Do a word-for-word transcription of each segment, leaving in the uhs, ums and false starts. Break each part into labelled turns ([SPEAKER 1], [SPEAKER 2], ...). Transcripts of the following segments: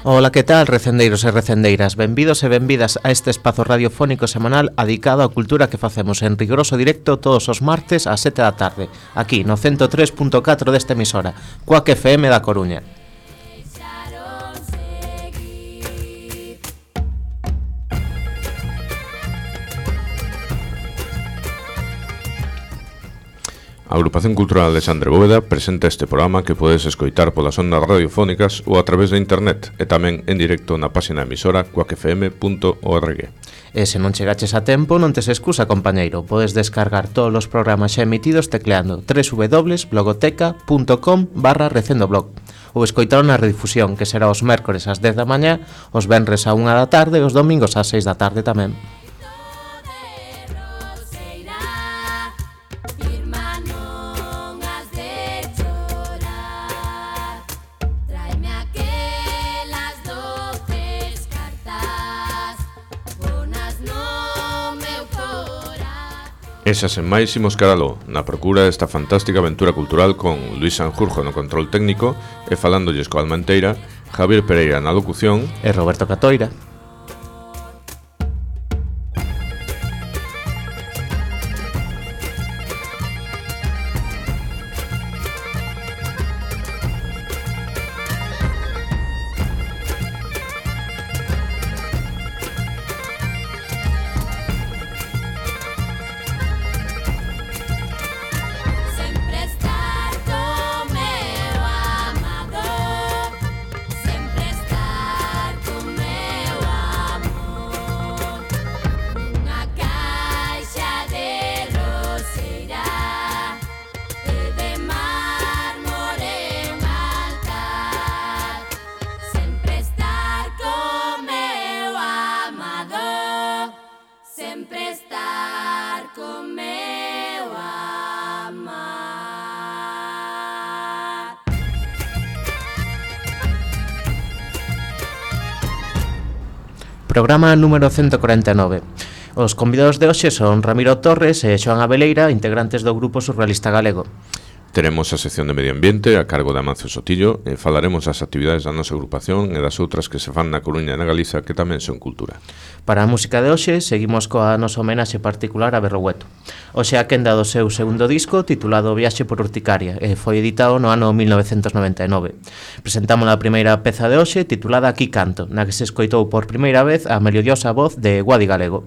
[SPEAKER 1] Ola, que tal, recendeiros e recendeiras? Benvidos e benvidas a este espazo radiofónico semanal adicado á cultura que facemos en rigoroso directo todos os martes ás sete da tarde, aquí no ciento tres punto catro desta emisora, Cuac F M da Coruña.
[SPEAKER 2] A Agrupación Cultural Alexandre Bóveda presenta este programa que podes escoitar polas ondas radiofónicas ou a través de internet e tamén en directo na página emisora cuac f m punto org.
[SPEAKER 1] E se non chegaches a tempo, non tes excusa, compañeiro. Podes descargar todos os programas xa emitidos tecleando w w w punto blogoteca punto com barra recendoblog ou escoitalo na redifusión, que será os mércores ás dez da mañá, os venres á unha da tarde e os domingos ás seis da tarde tamén.
[SPEAKER 2] Esas en máis imos caraló, na procura desta fantástica aventura cultural con Luis Sanjurjo no control técnico e falándolles coa Almanteira, Javier Pereira na locución
[SPEAKER 1] e Roberto Catoira. Programa número ciento cuarenta e nove. Os convidados de hoxe son Ramiro Torres e Xoán Abeleira, integrantes do Grupo Surrealista Galego.
[SPEAKER 2] Teremos a sección de Medio Ambiente a cargo de Amancio Sotillo e falaremos das actividades da nosa agrupación e das outras que se fan na Coruña e na Galiza que tamén son cultura.
[SPEAKER 1] Para a música de hoxe seguimos coa nosa homenaxe particular a Berrogueto. Hoxe a quenda do seu segundo disco titulado Viaxe por Urticaria e foi editado no ano mil novecentos noventa e nove. Presentamos a primeira peza de hoxe titulada Aquí Canto, na que se escoitou por primeira vez a melodiosa voz de Guadi Galego.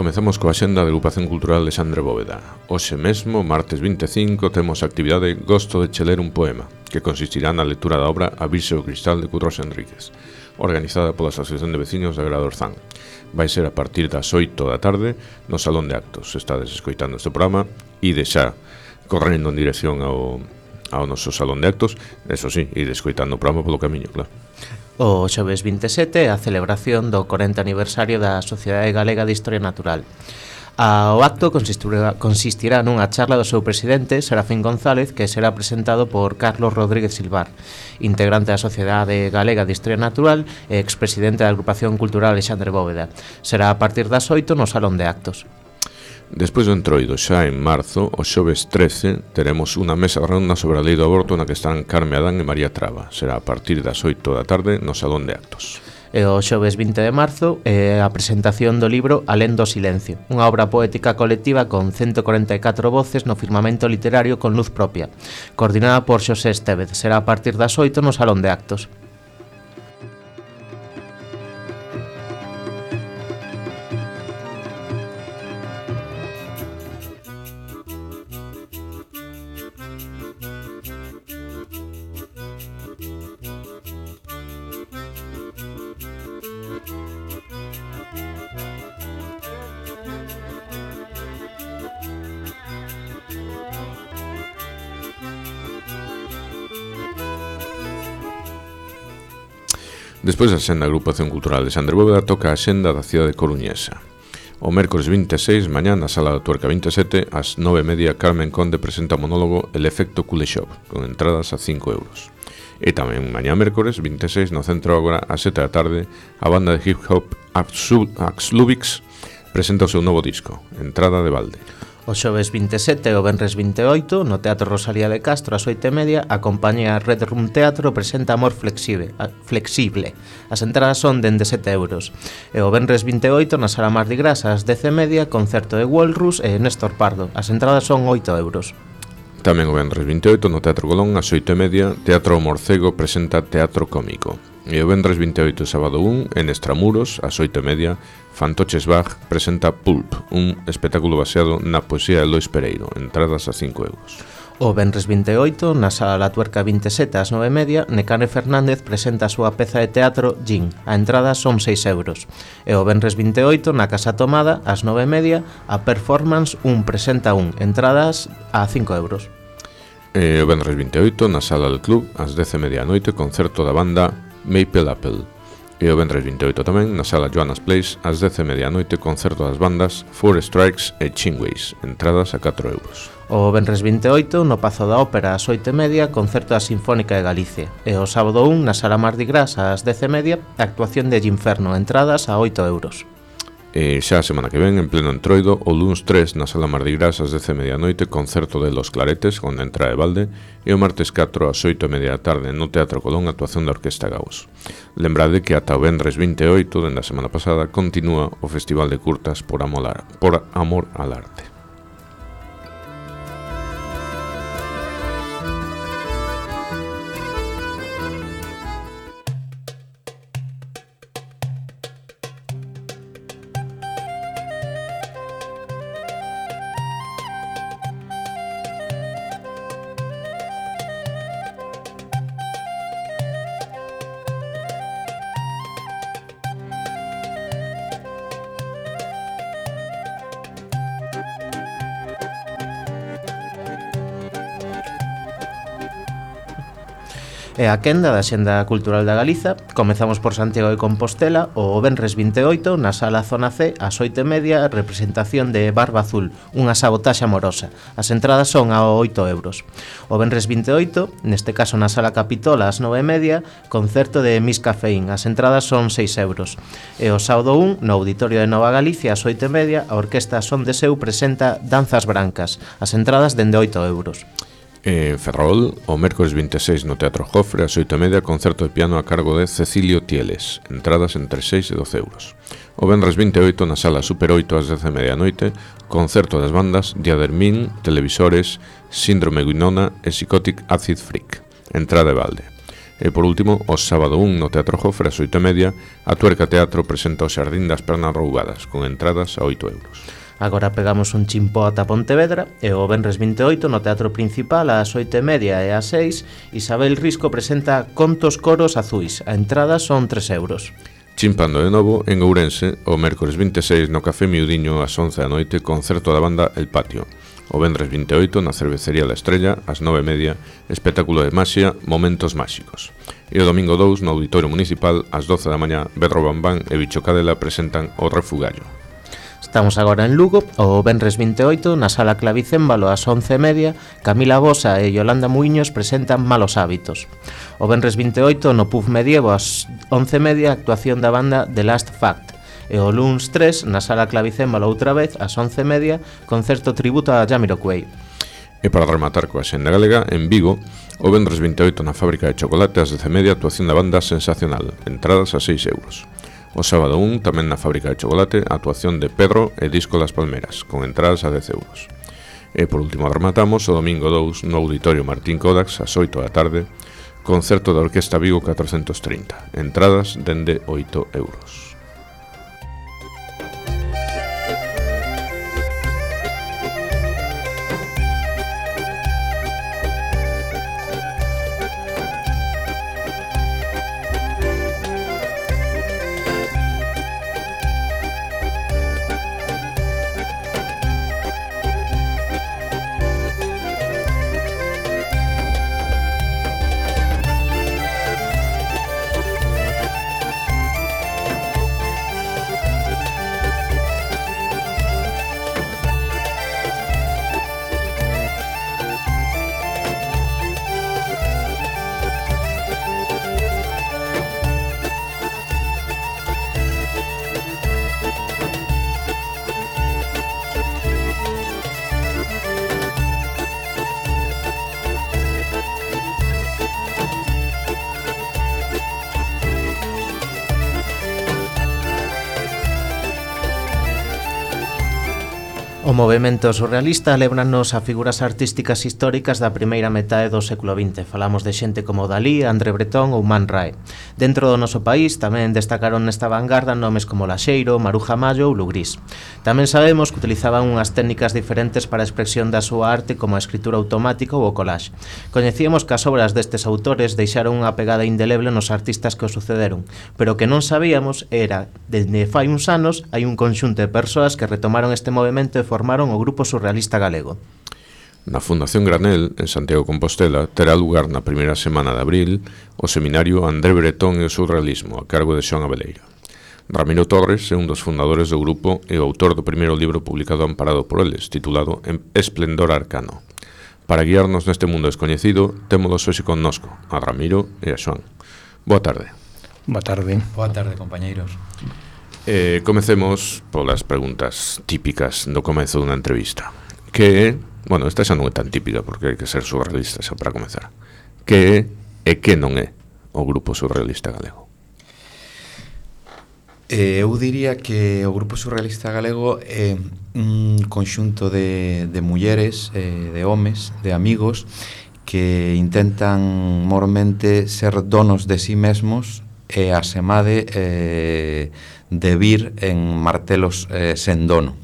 [SPEAKER 2] Comezamos coa xenda de Agrupación Cultural Alexandre Bóveda. Hoxe mesmo, martes vinte e cinco, temos a actividade Gosto de che ler un poema, que consistirá na lectura da obra A Virxe do Cristal de Curros Enríquez, organizada pola Asociación de Vecinos de Agrado Orzán. Vai ser a partir das oito da tarde no Salón de Actos. Estades escoitando este programa e de xa correndo en dirección ao, ao noso Salón de Actos, eso sí, e escoitando o programa polo camiño, claro.
[SPEAKER 1] O xoves vinte e sete a celebración do corenta aniversario da Sociedade Galega de Historia Natural. O acto consistirá, consistirá nunha charla do seu presidente, Serafín González, que será presentado por Carlos Rodríguez Silvar, integrante da Sociedade Galega de Historia Natural e expresidente da Agrupación Cultural Alexandre Bóveda. Será a partir das oito no Salón de Actos.
[SPEAKER 2] Despois do entroido, xa en marzo, o xoves trece, teremos unha mesa redonda sobre a lei do aborto na que están Carme Adán e María Traba. Será a partir das oito da tarde no Salón de Actos.
[SPEAKER 1] E o xoves vinte de marzo é a presentación do libro Alén do silencio, unha obra poética colectiva con ciento corenta e catro voces no firmamento literario con luz propia, coordinada por Xosé Estévez. Será a partir das oito no Salón de Actos.
[SPEAKER 2] Despois da xenda da Agrupación Cultural Alexandre Bóveda toca a xenda da cidade coruñesa. O mércores vinte e seis, mañá, na Sala da Tuerca vinte e sete, ás nove e media, Carmen Conde presenta o monólogo El efecto Kuleshov, con entradas a cinco euros. E tamén mañá mércores vinte e seis, no Centro Ágora, ás sete da tarde, a banda de hip hop Axlubix presenta o seu novo disco, Entrada de Balde.
[SPEAKER 1] O xoves vinte e sete e o venres vinte e oito, no Teatro Rosalía de Castro, ás oito e media, a compañía Red Room Teatro presenta Amor Flexible. flexible. As entradas son dende sete euros. E o venres vinte e oito, na Sala Mardi Gras, ás dez e media, concerto de Walrus e Néstor Pardo. As entradas son oito euros.
[SPEAKER 2] Tamén o venres vinte e oito, no Teatro Colón, ás oito e media, Teatro Morcego presenta Teatro Cómico. E o venres vinte e oito, sábado un, en Estramuros, ás oito e media, Fantoches Bach presenta Pulp, un espectáculo baseado na poesía de Lois Pereiro, entradas a cinco euros.
[SPEAKER 1] O venres vinte e oito, na Sala La Tuerca vinte e sete, ás nove e media, Necane Fernández presenta a súa peza de teatro Gin. A entrada son seis euros. E o venres vinte e oito, na Casa Tomada, ás nove e media, a performance Un presenta un, entradas a cinco euros.
[SPEAKER 2] E o venres vinte e oito, na Sala del Club, ás dez e media a noite, concerto da banda Maple Apple. E o venres vinte e oito tamén, na sala Joanna's Place, ás dez e media da noite, concerto das bandas Four Strikes e Chingways, entradas a catro euros.
[SPEAKER 1] O venres vinte e oito, no Pazo da Ópera ás oito e media, concerto da Sinfónica de Galicia. E o sábado un, na sala Mardi Gras ás dez e media, actuación de Ginferno, entradas a oito euros.
[SPEAKER 2] E xa a semana que ven, en pleno Entroido, o luns tres na sala Mardi Gras ás dez e media da noite, concerto de Los Claretes con entrada de balde, e o martes catro ás oito e media da tarde no Teatro Colón, actuación da Orquesta Gaos. Lembrade que ata o venres vinte e oito, dende a semana pasada, continúa o Festival de Curtas por Amor, por amor al Arte.
[SPEAKER 1] E a quenda da Xenda Cultural da Galiza, comezamos por Santiago de Compostela o venres vinte e oito na sala Zona C ás oito e media, representación de Barba Azul, unha sabotaxe amorosa. As entradas son a oito euros. O venres vinte e oito, neste caso na sala Capitol ás nove e media, concerto de Miss Cafeín, as entradas son seis euros. E o sábado un, no Auditorio de Nova Galicia ás oito e media, a Orquesta Son de Seu presenta Danzas Brancas, as entradas dende oito euros.
[SPEAKER 2] En Ferrol, o mércores vinte e seis no Teatro Jofre, ás oito e media, concerto de piano a cargo de Cecilio Tieles, entradas entre seis e doce euros. O venres vinte e oito na sala Super oito ás dez e media da noite, concerto das bandas Diadermin, Televisores, Síndrome Guinona e Psychotic Acid Freak, entrada de balde. E por último, o sábado un no Teatro Jofre ás oito e media, a Tuerca Teatro presenta o Xardín das Pernas Roubadas, con entradas a oito euros.
[SPEAKER 1] Agora pegamos un chimpó ata Pontevedra e o venres vinte e oito no Teatro Principal ás oito e media e ás seis Isabel Risco presenta Contos Coros Azuis, a entrada son tres euros.
[SPEAKER 2] Chimpando de novo, en Ourense, o mércores vinte e seis no Café Miudiño ás once da noite, concerto da banda El Patio. O venres vinte e oito na Cervecería La Estrella ás nove e media, espectáculo de maxia Momentos Máxicos. E o domingo dous no Auditorio Municipal ás doce da mañá, Bedro Bambán e Bicho Cadela presentan O Refugallo.
[SPEAKER 1] Estamos agora en Lugo, o venres vinte e oito, na sala Clavicémbalo ás once e media, Camila Bosa e Yolanda Muiños presentan Malos Hábitos. O venres vinte e oito, no Pub Medievo ás once e media, actuación da banda The Last Fact. E o luns tres, na sala Clavicémbalo outra vez, ás once e media, concerto tributo a Jamiroquai.
[SPEAKER 2] E para rematar coa xenda galega, en Vigo, o venres vinte e oito na Fábrica de Chocolate ás dez e media, actuación da banda Sensacional, entradas a seis euros. O sábado un, tamén na Fábrica de Chocolate, a actuación de Pedro e Disco das Palmeras, con entradas a dez euros. E por último rematamos o domingo dous no Auditorio Martín Kodax ás oito da tarde, concerto da Orquesta Vigo catrocentos trinta, entradas dende oito euros. O movemento surrealista lébranos a figuras artísticas históricas da primeira metade do século vinte. Falamos de xente como Dalí, André Breton ou Man Ray. Dentro do noso país tamén destacaron nesta vanguarda nomes como Laxeiro, Maruja Mallo ou Lugrís. Tamén sabemos que utilizaban unhas técnicas diferentes para a expresión da súa arte, como a escritura automática ou o collage. Coñecíamos que as obras destes autores deixaron unha pegada indeleble nos artistas que o sucederon, pero o que non sabíamos era, dende fai uns anos, hai un conxunto de persoas que retomaron este movimento e formaron o Grupo Surrealista Galego. Na Fundación Granel, en Santiago de Compostela, terá lugar na primeira semana de abril o seminario André Breton e o surrealismo, a cargo de Xoán Abeleira. Ramiro Torres é un dos fundadores do grupo e o autor do primeiro libro publicado amparado por eles, titulado Esplendor Arcano. Para guiarnos neste mundo descoñecido, témolos hoxe connosco, a Ramiro e a Xoán. Boa tarde.
[SPEAKER 3] Boa tarde.
[SPEAKER 4] Boa tarde, compañeiros.
[SPEAKER 2] Eh, comecemos polas preguntas típicas do comezo dunha entrevista. Que é, bueno, esta xa non é tan típica porque hai que ser surrealista xa para comezar. Que é e que non é o grupo surrealista galego?
[SPEAKER 4] Eh, eu diría que o grupo surrealista galego é un conxunto de, de mulleres, eh, de homes, de amigos que intentan mormente ser donos de sí mesmos e asemade eh, de vir en martelos eh, sen dono.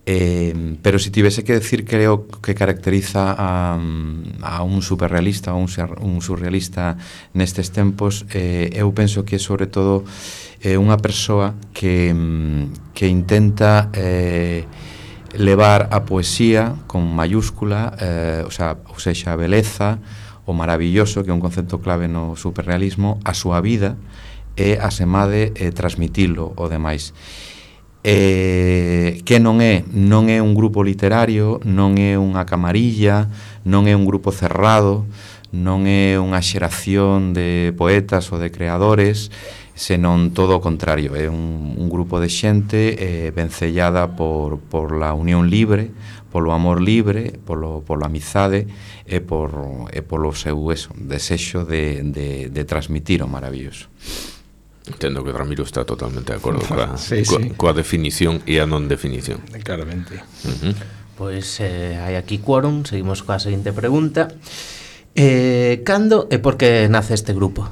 [SPEAKER 4] Eh, pero se si tivese que decir creo que caracteriza a, a un superrealista, un, un surrealista nestes tempos, eh, eu penso que sobre todo é eh, unha persoa que, que intenta eh, levar a poesía con mayúscula, eh, o sea, ou seja, a beleza, o maravilloso, que é un concepto clave no superrealismo, a súa vida e asemade eh, transmitilo o demais. Eh, que non é non é un grupo literario, non é unha camarilla, non é un grupo cerrado, non é unha xeración de poetas ou de creadores, senón todo o contrario, é un, un grupo de xente eh, vencellada por, por la unión libre, polo amor libre, polo, polo amizade e, por, e polo seu eso, desexo de, de, de transmitir o maravilloso.
[SPEAKER 2] Entendo que Ramiro está totalmente de acordo coa,
[SPEAKER 3] sí,
[SPEAKER 2] coa,
[SPEAKER 3] sí.
[SPEAKER 2] coa definición e a non definición.
[SPEAKER 3] Claramente.
[SPEAKER 2] Uh-huh.
[SPEAKER 1] Pois eh, hai aquí quórum, seguimos coa seguinte pregunta. Eh, cando e por que nace este grupo?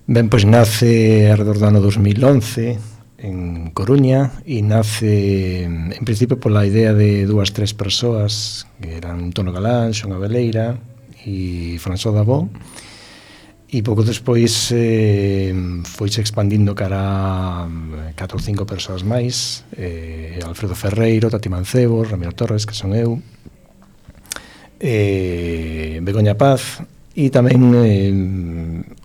[SPEAKER 3] Ben, pois nace alrededor do ano dos mil once en Coruña e nace en principio pola idea de dúas, tres persoas que eran Tono Galán, Xoán Abeleira e François Dabó. E pouco despois eh, foise expandindo cara a catro ou cinco persoas máis, eh, Alfredo Ferreiro, Tati Mancebo, Ramiro Torres, que son eu, eh, Begoña Paz, e tamén eh,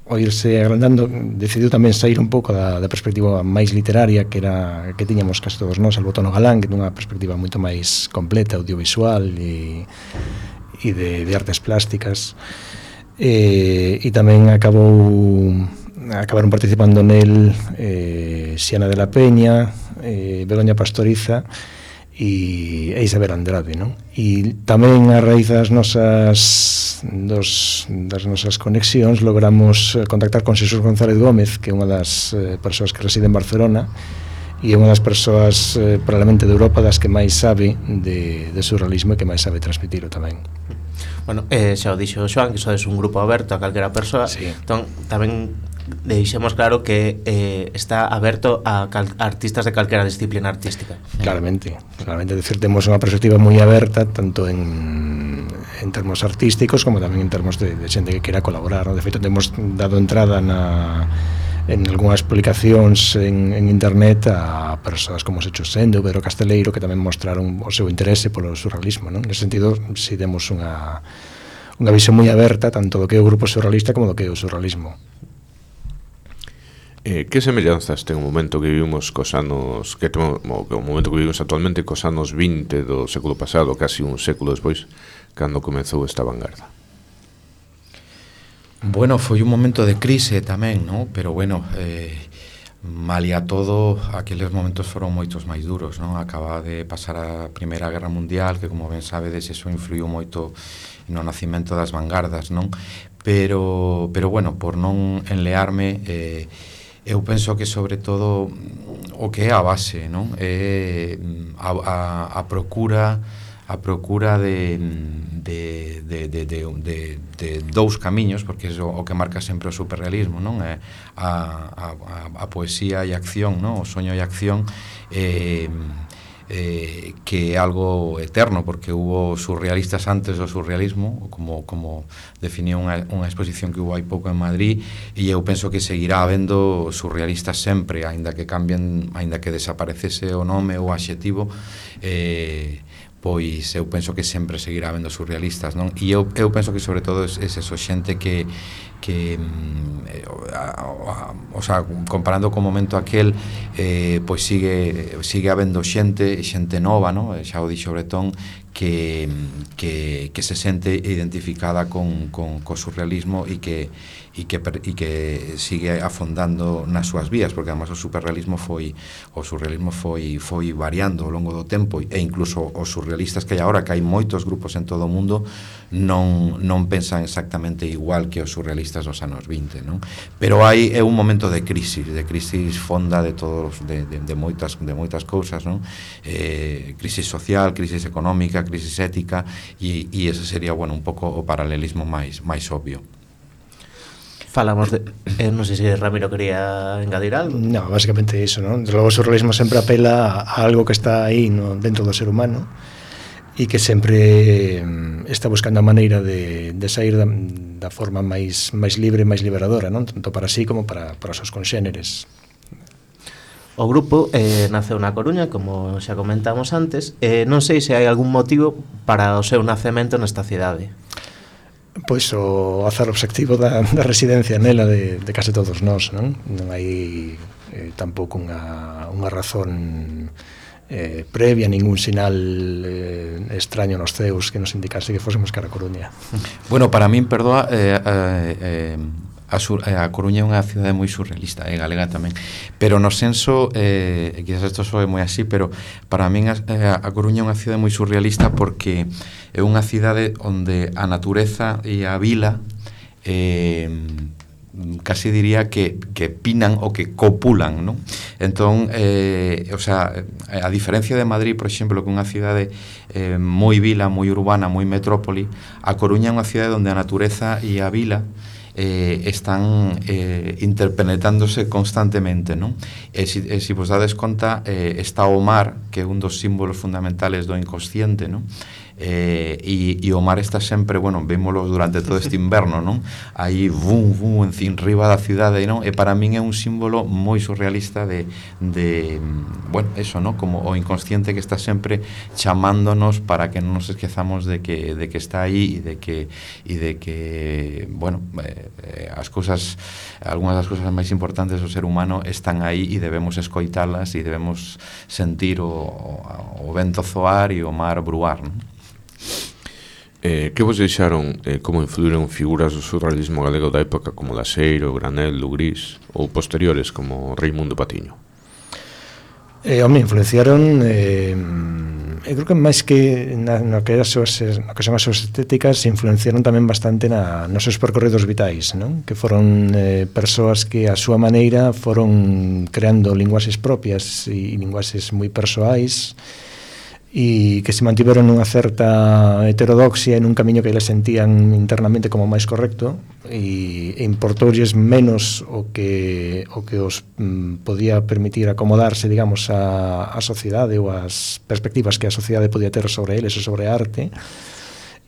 [SPEAKER 3] o irse agrandando decidiu tamén sair un pouco da, da perspectiva máis literaria que era que tiñamos casi todos nós, Albo Tono Galán, que dunha perspectiva moito máis completa, audiovisual e, e de, de artes plásticas. E, e tamén acabou acabaron participando nel eh, Xiana de la Peña, eh, Begoña Pastoriza e, e Isabel Andrade, non? E tamén a raíz das nosas dos, das nosas conexións logramos contactar con Xesús González Gómez, que é unha das eh, persoas que reside en Barcelona e é unha das persoas eh, probablemente de Europa das que máis sabe de, de surrealismo e que máis sabe transmitilo tamén.
[SPEAKER 1] Bueno, eh, xa o dixo Xoán, que sodes un grupo aberto a calquera persoa,
[SPEAKER 3] sí.
[SPEAKER 1] Entón tamén deixemos claro que eh, está aberto a, cal, a artistas de calquera disciplina artística.
[SPEAKER 3] Claramente, claramente, decir, temos unha perspectiva moi aberta tanto en, en termos artísticos como tamén en termos de, de xente que queira colaborar, ¿no? De feito, temos dado entrada na en algunhas publicacións en, en internet a persoas como Secho Sende ou Pedro Casteleiro que tamén mostraron o seu interese polo surrealismo, non? Nese sentido, si demos unha, unha visión moi aberta tanto do que é o grupo surrealista como do que é o surrealismo.
[SPEAKER 2] Eh, que semellanzas ten o momento que vivimos cos anos que temo, o momento que vivimos actualmente cos anos vinte do século pasado, casi un século despois, cando comezou esta vanguarda?
[SPEAKER 4] Bueno, foi un momento de crise tamén, ¿no? Pero bueno, eh, malia todo, aqueles momentos foron moitos máis duros, ¿no? Acaba de pasar a Primeira Guerra Mundial, que como ben sabedes, eso influiu moito no nacimento das vanguardas, non? Pero, pero bueno, por non enlearme, eh, eu penso que sobre todo o que é a base, non? É a, a, a procura a procura de, de, de, de, de, de, de dous camiños, porque é o, o que marca sempre o superrealismo, non? É a, a, a poesía e a acción, non? O soño e a acción, eh, eh, que é algo eterno, porque hubo surrealistas antes do surrealismo, como, como definiu unha, unha exposición que hubo hai pouco en Madrid, e eu penso que seguirá habendo surrealistas sempre, aínda que cambien, aínda que desaparecese o nome ou o adxetivo, eh, pois eu penso que sempre seguirá habendo surrealistas, non? E eu, eu penso que sobre todo é esa xente que que o sea, comparando co momento aquel, eh, pois sigue sigue habendo xente, xente nova, non? Xa o dixo Bretón, que, que, que se sente identificada con, con, co surrealismo e que e que, e que sigue afondando nas súas vías, porque además o superrealismo foi o surrealismo foi foi variando ao longo do tempo, e incluso os surrealistas que hai agora, que hai moitos grupos en todo o mundo, non non pensan exactamente igual que os surrealistas dos anos vinte, non? Pero hai é un momento de crisis, de crisis fonda de todos de, de, de moitas de moitas cousas, non? Eh, crisis social, crisis económica, crisis ética, e, e ese sería, bueno, un pouco o paralelismo máis máis obvio.
[SPEAKER 1] Falamos de... Eh, non sei se Ramiro quería engadir algo.
[SPEAKER 3] No, básicamente iso, non? Desde logo o surrealismo sempre apela a algo que está aí no, dentro do ser humano e que sempre está buscando a maneira de, de sair da, da forma máis, máis libre, máis liberadora, non? Tanto para sí como para, para os seus conxéneres.
[SPEAKER 1] O grupo eh, naceu na Coruña, como xa comentamos antes. Eh, non sei se hai algún motivo para o seu nacemento nesta cidade.
[SPEAKER 3] Pois o azar obxectivo da, da residencia nela de, de case todos nós, non? Non hai eh, tampouco unha, unha razón eh, previa, ningún sinal eh, extraño nos ceus que nos indicase que fósemos cara a Coruña.
[SPEAKER 4] Bueno, para min, perdoa, eh, eh, a, sur, a Coruña é unha cidade moi surrealista, é eh, galega tamén, pero no senso, eh, quizás isto soe moi así, pero para min a, a Coruña é unha cidade moi surrealista porque é unha cidade onde a natureza e a vila eh, casi diría que, que pinan ou que copulan, non? Entón, eh, o sea, a diferencia de Madrid, por exemplo, que é unha cidade eh, moi vila, moi urbana, moi metrópoli, a Coruña é unha cidade onde a natureza e a vila eh, están eh, interpenetrándose constantemente, non? E se si, si vos dades conta, eh, está o mar, que é un dos símbolos fundamentales do inconsciente, non? Eh, e, e o mar está sempre, bueno, vémolo durante todo este inverno, non? Aí, vum, vum, en riba da cidade, non? E para min é un símbolo moi surrealista de, de bueno, eso, non? Como o inconsciente que está sempre chamándonos para que non nos esquezamos de que, de que está aí e de que, e de que bueno, eh, as cousas, algunhas das cousas máis importantes do ser humano están aí e debemos escoitalas e debemos sentir o, o, o vento zoar e o mar bruar, non?
[SPEAKER 2] Eh, que vos deixaron eh, como influíron figuras do surrealismo galego da época como Laseiro, Granel, Lugrís ou posteriores como Reimundo Patiño?
[SPEAKER 3] Eh, home, influenciaron eh, eu creo que máis que na, no, que as súas, no que son as súas estéticas, influenciaron tamén bastante na, nos seus percorridos vitais, non? Que foron eh, persoas que a súa maneira foron creando linguaxes propias e linguaxes moi persoais e que se mantiveron nunha certa heterodoxia en un camiño que eles sentían internamente como máis correcto e, e importoulles menos o que o que os mm, podía permitir acomodarse, digamos, a, a sociedade ou as perspectivas que a sociedade podía ter sobre eles ou sobre a arte,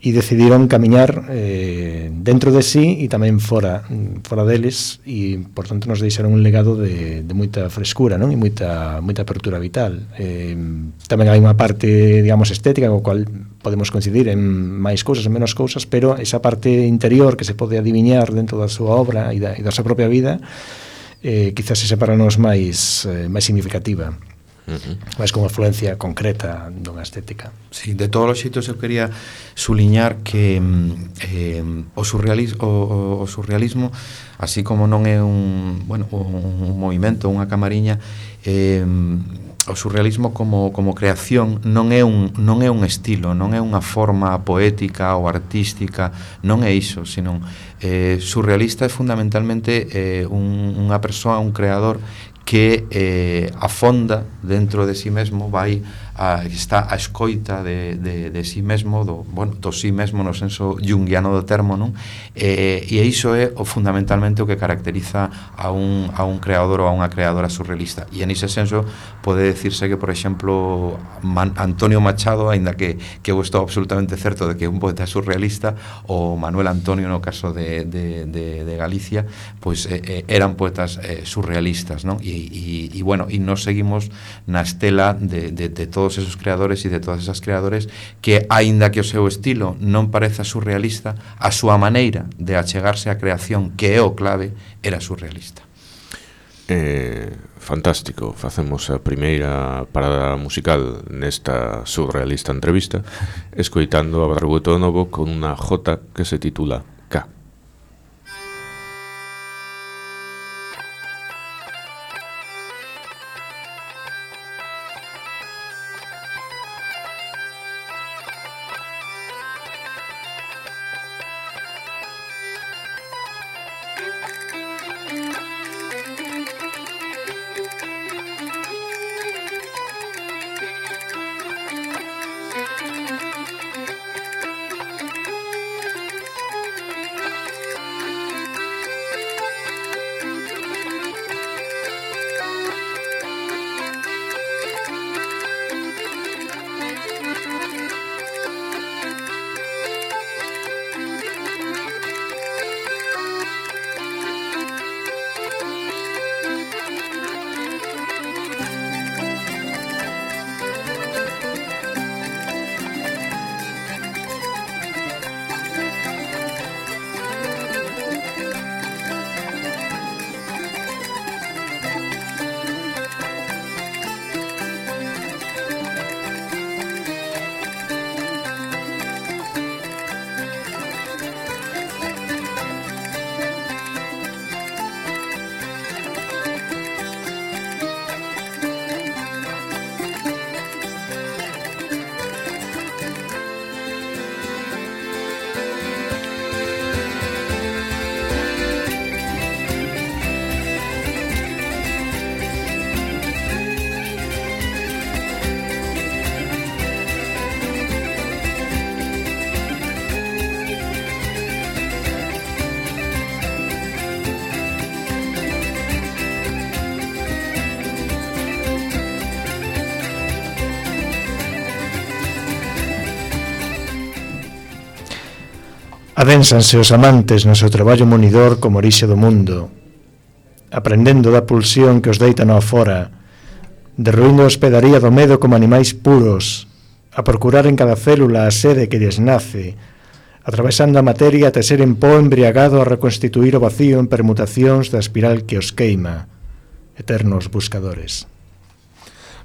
[SPEAKER 3] e decidiron camiñar eh, dentro de sí e tamén fora fora deles, e por tanto nos deixaron un legado de, de moita frescura, non? E moita, moita apertura vital. Eh, tamén hai unha parte, digamos, estética co cual podemos coincidir en máis cousas, en menos cousas, pero esa parte interior que se pode adiviñar dentro da súa obra e da, e da súa propia vida eh, quizás ese para nos máis, eh, máis significativa. Uh-huh. Máis como influencia concreta dunha estética.
[SPEAKER 4] Sí, de todos os xeitos eu quería suliñar que eh, o, surrealismo, o, o surrealismo, así como non é un, bueno, un, un movimento, unha camariña, eh, o surrealismo como, como creación non é un non é un estilo, non é unha forma poética ou artística, non é iso, senón eh, surrealista é fundamentalmente eh, un, unha persoa, un creador que eh, afonda dentro de si mesmo, vai a, está a escoita de, de, de si mesmo, do, bueno, do si mesmo no senso junguiano do termo, non? E, e iso é o fundamentalmente o que caracteriza a un, a un creador ou a unha creadora surrealista. E en ese senso pode decirse que, por exemplo, Man, Antonio Machado, aínda que, que eu estou absolutamente certo de que é un poeta surrealista, ou Manuel Antonio no caso de, de, de, de Galicia, pois eh, eran poetas eh, surrealistas, non? E, e, e bueno, e nos seguimos na estela de, de, de todo todos esos creadores e de todas esas creadores que, aínda que o seu estilo non pareza surrealista, a súa maneira de achegarse á creación, que é o clave, era surrealista.
[SPEAKER 2] Eh, fantástico, facemos a primeira parada musical nesta surrealista entrevista escoitando a Barbueto Novo con unha jota que se titula K.
[SPEAKER 3] Adénsanse os amantes no seu traballo monidor como orixe do mundo, aprendendo da pulsión que os deita no afora, derruindo a hospedaría do medo como animais puros, a procurar en cada célula a sede que lles nace, atravesando a materia até ser en pó embriagado a reconstituir o vacío en permutacións da espiral que os queima, eternos buscadores.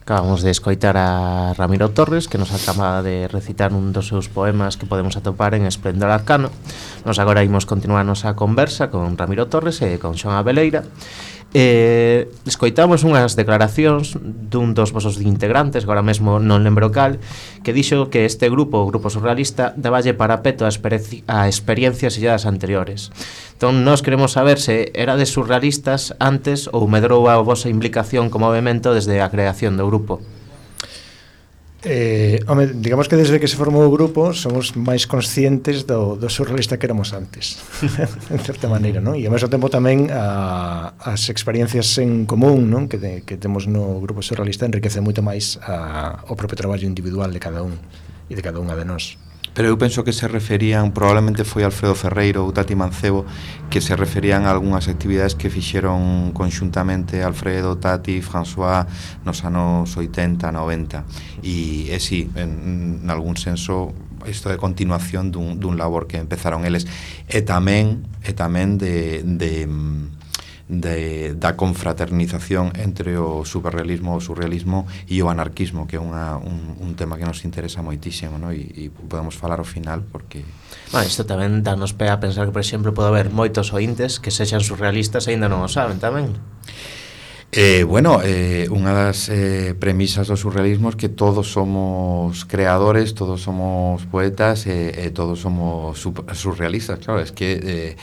[SPEAKER 1] Acabamos de escoitar a Ramiro Torres, que nos acaba de recitar un dos seus poemas que podemos atopar en Esplendor Arcano. Nos agora imos continuar a nosa conversa con Ramiro Torres e con Xoán Abeleira. Eh, escoitamos unhas declaracións dun dos vosos integrantes, agora mesmo non lembro cal, que dixo que este grupo, o Grupo Surrealista, daballe parapeto a, experi a experiencias illadas anteriores. Entón, nós queremos saber se erades surrealistas antes ou medrou a vosa implicación como movimento desde a creación do grupo.
[SPEAKER 3] Eh, home, digamos que desde que se formou o grupo somos máis conscientes do, do surrealista que éramos antes en certa maneira, non? E ao mesmo tempo tamén a, as experiencias en común, non? Que, de, que temos no grupo surrealista enriquece moito máis a, o propio traballo individual de cada un e de cada unha de nós.
[SPEAKER 4] Pero eu penso que se referían, probablemente foi Alfredo Ferreiro ou Tati Mancebo, que se referían a algunhas actividades que fixeron conxuntamente Alfredo, Tati, François nos anos oitenta, noventa. E, e sí, en, en algún senso, isto de continuación dun, dun labor que empezaron eles. E tamén, e tamén de... de De, da confraternización entre o superrealismo, o surrealismo e o anarquismo, que é unha, un, un tema que nos interesa moitísimo, no? e, e podemos falar ao final porque...
[SPEAKER 1] Bueno, isto tamén danos pé a pensar que, por exemplo, pode haber moitos ointes que sexan surrealistas e ainda non o saben tamén.
[SPEAKER 4] Eh, bueno, eh, unha das eh, premisas do surrealismo é que todos somos creadores, todos somos poetas e, e todos somos surrealistas, claro, es que... Eh,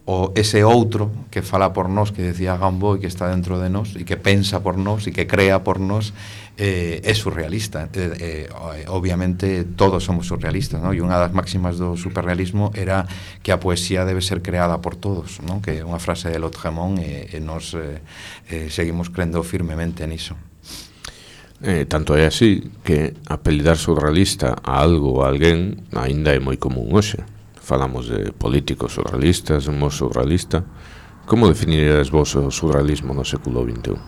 [SPEAKER 4] o ese outro que fala por nós, que decía Gambo, e que está dentro de nós e que pensa por nós e que crea por nós, eh, é surrealista. eh, eh, obviamente todos somos surrealistas, ¿no? E unha das máximas do superrealismo era que a poesía debe ser creada por todos, ¿no? Que é unha frase de Lautréamont, e, e nos eh, eh, seguimos crendo firmemente niso.
[SPEAKER 2] Eh, tanto é así que apelidar surrealista a algo ou a alguén aínda é moi común hoxe. Falamos de políticos surrealistas, un surrealista. Como definirías vos o surrealismo no século vinte e un?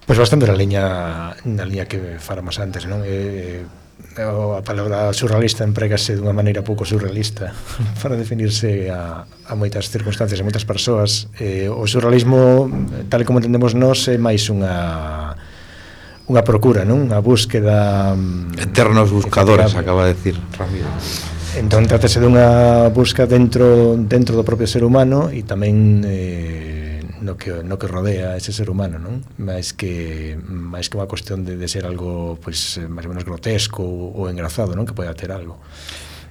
[SPEAKER 3] Pois bastante na liña na liña que falamos antes, non? Eh, a palabra surrealista emprégase dunha maneira pouco surrealista para definirse a, a moitas circunstancias e moitas persoas. Eh, o surrealismo, tal como entendemos nós, é máis unha unha procura, non? Unha búsqueda
[SPEAKER 4] eternos buscadores, acaba de decir Ramiro.
[SPEAKER 3] Entón, trátase dunha busca dentro dentro do propio ser humano e tamén eh, no que no que rodea ese ser humano, non? Máis que máis que unha cuestión de, de ser algo pois máis ou menos grotesco ou, ou engraçado, non? Que poida ter algo.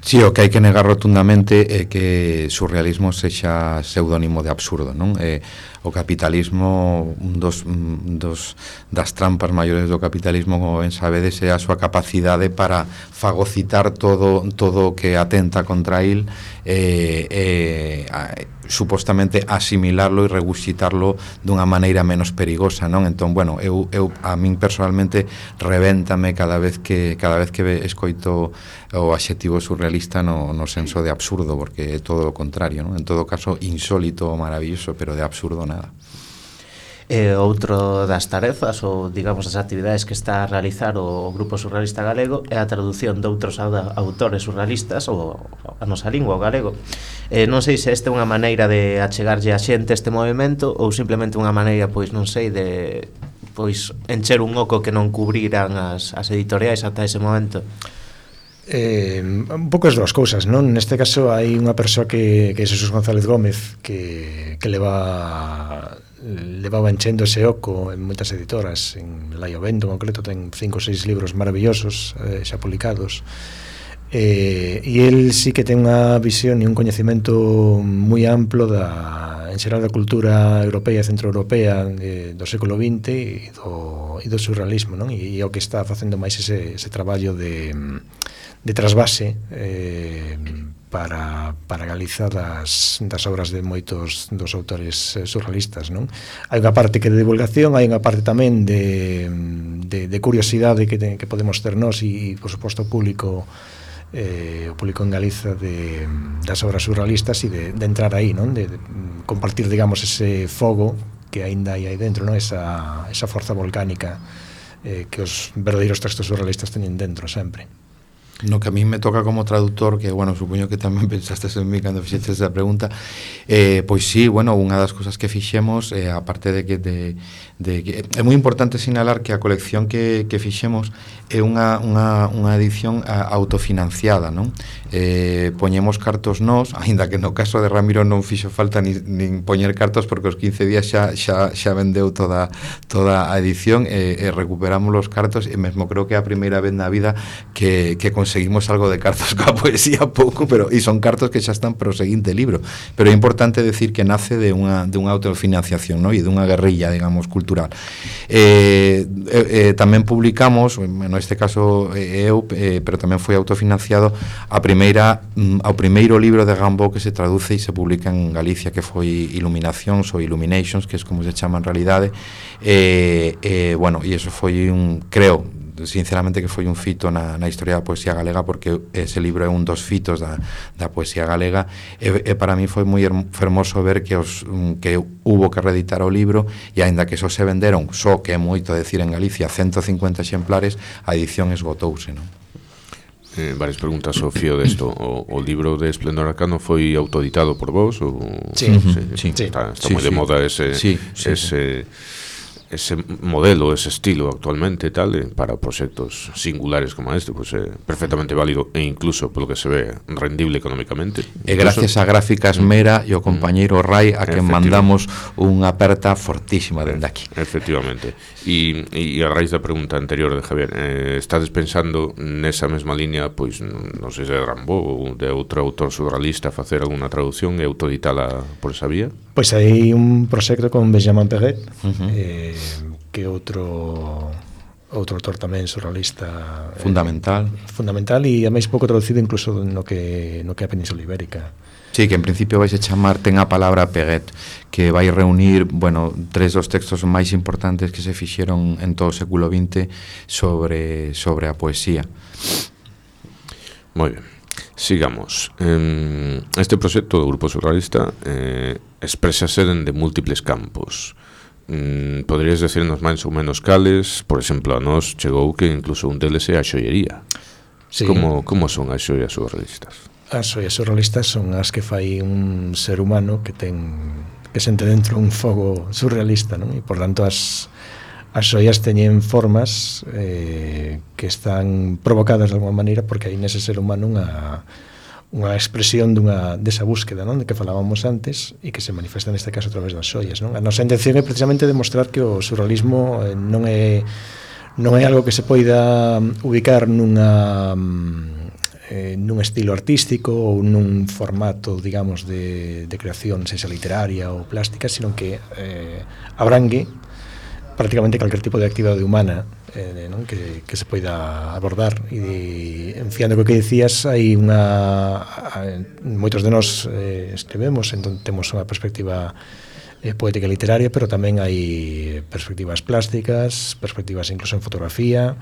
[SPEAKER 4] Sí, o que hai que negar rotundamente é que surrealismo sexa pseudónimo de absurdo, non? Eh, o capitalismo, un dos, un dos das trampas maiores do capitalismo, como ben sabedes, é a súa capacidade para fagocitar todo todo o que atenta contra il, eh, eh, a, supostamente asimilarlo e regurgitarlo dunha maneira menos perigosa, non? Entón, bueno, eu, eu a min personalmente revéntame cada vez que cada vez que escoito o adxetivo surrealista no, no senso de absurdo, porque é todo o contrario, non? En todo caso, insólito ou maravilloso, pero de absurdo nada.
[SPEAKER 1] E outro das tarefas ou, digamos, das actividades que está a realizar o Grupo Surrealista Galego é a traducción de outros autores surrealistas ou a nosa lingua, o galego. Eh, non sei se esta é unha maneira de achegarlle a xente este movimento ou simplemente unha maneira, pois, non sei, de pois encher un oco que non cubriran as, as editoriais ata ese momento.
[SPEAKER 3] Eh, un pouco as dúas cousas, non? Neste caso hai unha persoa que, que é Jesús González Gómez que, que leva levaba enchendo ese oco en moitas editoras. En Laio Vento, en concreto, ten cinco ou seis libros maravillosos eh, xa publicados, eh, e el sí que ten unha visión e un coñecemento moi amplo da, en xeral, da cultura europea e centroeuropea eh, do século vinte e do, e do surrealismo, non? E, e o que está facendo máis ese, ese traballo de de trasvase eh, para, para Galiza das, das obras de moitos dos autores eh, surrealistas, non? Hai unha parte que de divulgación, hai unha parte tamén de, de, de curiosidade que, te, que podemos ter nós e, por suposto, o público eh, o público en Galiza de, das obras surrealistas e de, de entrar aí, non? De, de compartir, digamos, ese fogo que aínda hai aí dentro, non? Esa, esa forza volcánica eh, que os verdadeiros textos surrealistas teñen dentro sempre.
[SPEAKER 4] No que a mí me toca como traductor, que, bueno, supoño que tamén pensastes en mí cando fixestes esa pregunta, eh, pois sí, bueno, unha das cousas que fixemos, eh, aparte de que de, de que é moi importante sinalar que a colección que, que fixemos é unha, unha, unha edición a, autofinanciada, non? Eh, poñemos cartos nós, aínda que no caso de Ramiro non fixo falta nin, nin poñer cartos, porque os quince días xa, xa, xa vendeu toda, toda a edición, e, e recuperamos os cartos, e mesmo creo que é a primeira vez na vida que, que conseguimos algo de cartos coa poesía, pouco, pero e son cartos que xa están para o seguinte libro. Pero é importante decir que nace de unha, de unha autofinanciación, ¿no? E dunha guerrilla, digamos, cultural. Eh, eh, eh, tamén publicamos, neste caso eh, eu, eh, pero tamén foi autofinanciado a primeira, ao primeiro libro de Gambó que se traduce e se publica en Galicia, que foi Iluminacións ou Illuminations, que é como se chama en realidade. Eh, eh, bueno, e eso foi un, creo, sinceramente, que foi un fito na, na historia da poesía galega, porque ese libro é un dos fitos da, da poesía galega, e, e para mí foi moi fermoso ver que os que hubo que reeditar o libro, e aínda que só se venderon, só que é moito decir en Galicia, ciento cincuenta exemplares, a edición esgotouse, non?
[SPEAKER 2] Eh, varias preguntas ao fío desto. O, o libro de Esplendor Arcano foi autoeditado por vos? Ou...
[SPEAKER 3] Sí,
[SPEAKER 2] sí,
[SPEAKER 3] sí.
[SPEAKER 2] Está, está
[SPEAKER 4] sí,
[SPEAKER 2] moi
[SPEAKER 4] sí.
[SPEAKER 2] de moda ese...
[SPEAKER 4] Sí, sí,
[SPEAKER 2] ese sí. ese modelo, ese estilo actualmente tal, eh, para proxectos singulares como este, pues é eh, perfectamente válido e incluso polo que se ve rendible económicamente.
[SPEAKER 4] E gracias a Gráficas Mera e o compañeiro Rai a que mandamos unha aperta fortísima dende aquí.
[SPEAKER 2] Efectivamente. E, e a raíz da pregunta anterior de Javier, eh, estades pensando nesa mesma línea, pois non sei se de Rambó ou de outro autor surrealista, facer alguna traducción e autoeditala por esa vía?
[SPEAKER 3] Pois hai un proxecto con Benjamin Perret, uh-huh. eh, que outro outro autor tamén surrealista
[SPEAKER 4] fundamental,
[SPEAKER 3] eh, fundamental e a máis pouco traducido incluso no que no que é a Península Ibérica.
[SPEAKER 4] Sí, que en principio vais a chamar Ten a palabra Peguet, que vai reunir, bueno, tres dos textos máis importantes que se fixeron en todo o século vinte sobre sobre a poesía.
[SPEAKER 2] Moi ben. Sigamos. Este proxecto do Grupo Surrealista eh, exprésase dende múltiples campos. Mm, poderías decirnos máis ou menos cales? Por exemplo, a nós chegou que incluso un deles é a xoiería.
[SPEAKER 3] Sí.
[SPEAKER 2] Como, como son as xoias surrealistas?
[SPEAKER 3] As xoias surrealistas son as que fai un ser humano que ten que sente dentro un fogo surrealista, non? E por tanto as as xoias teñen formas eh, que están provocadas de alguma maneira porque hai nese ser humano unha unha expresión dunha desa búsqueda, non, de que falábamos antes e que se manifesta neste caso a través das xoias, non? A nosa intención é precisamente demostrar que o surrealismo eh, non é non é algo que se poida ubicar nunha eh, nun estilo artístico ou nun formato, digamos, de, de creación, sexa literaria ou plástica, sino que eh, abrangue prácticamente calquer tipo de actividade humana eh, non? Que, que se poida abordar e enfiando co que dicías hai unha moitos de nós eh, escribemos, entón temos unha perspectiva eh, poética e literaria, pero tamén hai perspectivas plásticas, perspectivas incluso en fotografía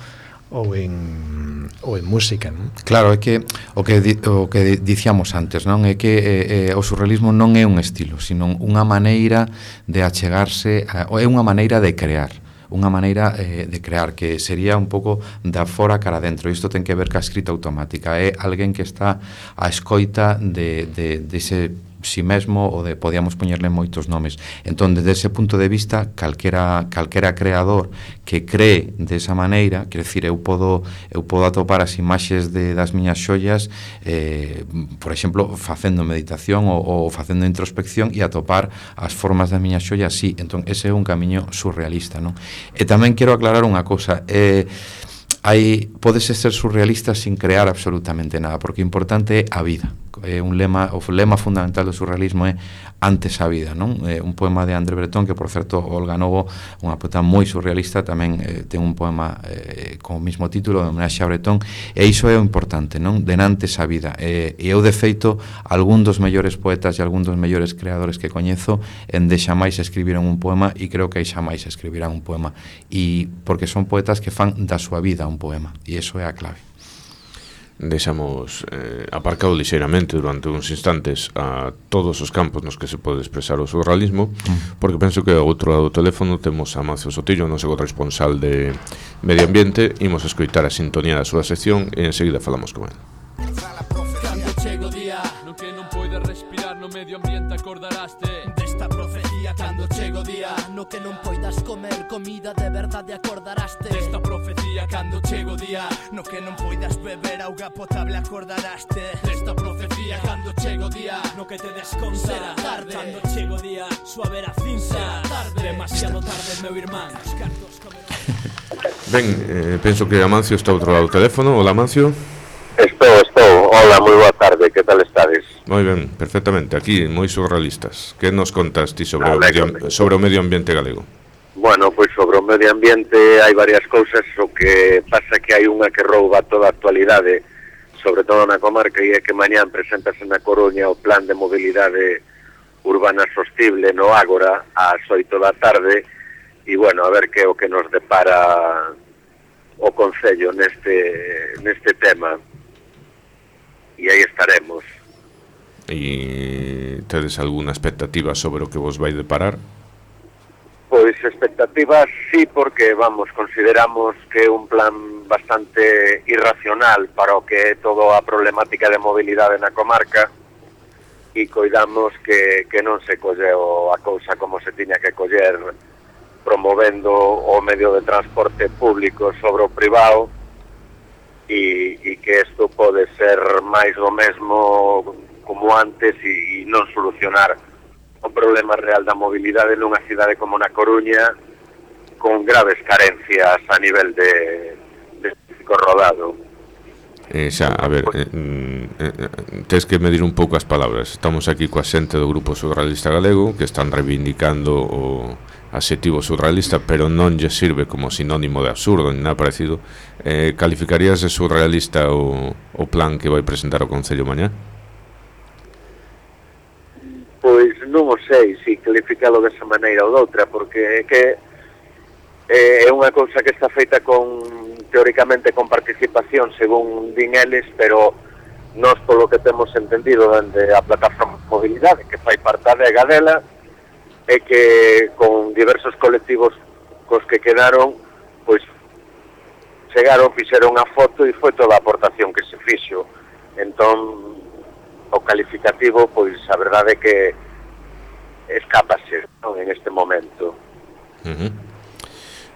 [SPEAKER 3] ou en ou en música, non?
[SPEAKER 4] Claro, é que o que di, o que dicíamos antes, non? É que eh, o surrealismo non é un estilo, sino unha maneira de achegarse, a, ou é unha maneira de crear, unha maneira eh, de crear que sería un pouco da fora cara dentro. Isto ten que ver ca escrita automática, é alguén que está á escoita de, de, de ese si mesmo ou de podíamos poñerle moitos nomes. Entón, desde ese punto de vista, calquera calquera creador que cree desa maneira, quer decir, eu podo eu podo atopar as imaxes de das miñas xoias, eh, por exemplo, facendo meditación ou, ou facendo introspección e atopar as formas das miñas xoias, sí. Entón, ese é un camiño surrealista, non? E tamén quero aclarar unha cousa, eh hai podese ser surrealista sin crear absolutamente nada, porque o importante é a vida. É un lema, o lema fundamental do surrealismo é antes a vida, non? É un poema de André Breton que, por certo, Olga Novo, unha poeta moi surrealista, tamén eh, ten un poema eh, con o mesmo título, de homenaxe a Breton, e iso é o importante, non? Denantes a vida. E, e eu, de feito, algún dos mellores poetas e algún dos mellores creadores que coñezo en de xamais escribiron un poema e creo que aí xamais escribirán un poema, e porque son poetas que fan da súa vida un poema, e iso é a clave.
[SPEAKER 2] Deixamos eh, aparcado lixeiramente durante uns instantes a todos os campos nos que se pode expresar o surrealismo, mm. porque penso que ao outro lado do teléfono temos a Amancio Sotillo, noso corresponsal de Medio Ambiente. Imos escoitar a sintonía da súa sección e enseguida falamos con ele.
[SPEAKER 5] Cando chego o día no que non poides respirar no medio ambiente acordaraste desta profecía. Cando chego o día no que non poidas comer comida de verdade acordaraste desta profecía. Cando chego o día no que non poidas beber auga potable acordaraste desta profecía. Cando chego o día no que te desconta será tarde. Cando chego o día suave a cinza será tarde. Demasiado tarde, meu irmán. Os cartos comerán.
[SPEAKER 2] Ben, eh, penso que Amancio está ao outro lado do teléfono. Hola, Amancio.
[SPEAKER 6] Estou, estou. Hola, moi boa tarde. Que tal estades?
[SPEAKER 2] Moi ben, perfectamente. Aquí, moi surrealistas. Que nos contas ti sobre,
[SPEAKER 6] Ah,
[SPEAKER 2] o medio,
[SPEAKER 6] léxame.
[SPEAKER 2] sobre o medio ambiente galego?
[SPEAKER 6] Bueno, pois sobre o medio ambiente hai varias cousas. O que pasa que hai unha que rouba toda a actualidade, sobre todo na comarca, e é que mañán presentase na Coruña o plan de mobilidade urbana sostible no Ágora ás oito da tarde, e bueno, a ver que é o que nos depara o Concello neste neste tema. E aí estaremos.
[SPEAKER 2] E tedes algunha expectativa sobre o que vos vai deparar?
[SPEAKER 6] Pois expectativas sí, porque vamos, consideramos que é un plan bastante irracional para o que é toda a problemática de mobilidade na comarca, e coidamos que, que non se colleu a cousa como se tiña que coller, promovendo o medio de transporte público sobre o privado, e, e que isto pode ser máis do mesmo como antes e, e non solucionar o problema real da mobilidade nunha cidade como na Coruña, con graves carencias a nivel de, de físico rodado.
[SPEAKER 2] Eh, xa, a ver, eh, eh, tes que medir un pouco as palabras. Estamos aquí coa xente do Grupo Surrealista Galego, que están reivindicando o adxetivo surrealista, pero non lle sirve como sinónimo de absurdo ni nada parecido. Eh, calificarías de surrealista o, o plan que vai presentar o Concello mañá?
[SPEAKER 6] Pois non o sei se calificalo desa maneira ou doutra, porque é que é unha cousa que está feita con, teóricamente, con participación, según din eles, pero nós, polo que temos entendido dende a plataforma de mobilidade, que fai parte da Adega dela, e que con diversos colectivos cos que quedaron, pois chegaron, fixeron a foto e foi toda a aportación que se fixo. Entón, o calificativo, pois a verdade é que escápase, non, en este momento.
[SPEAKER 2] Uh-huh.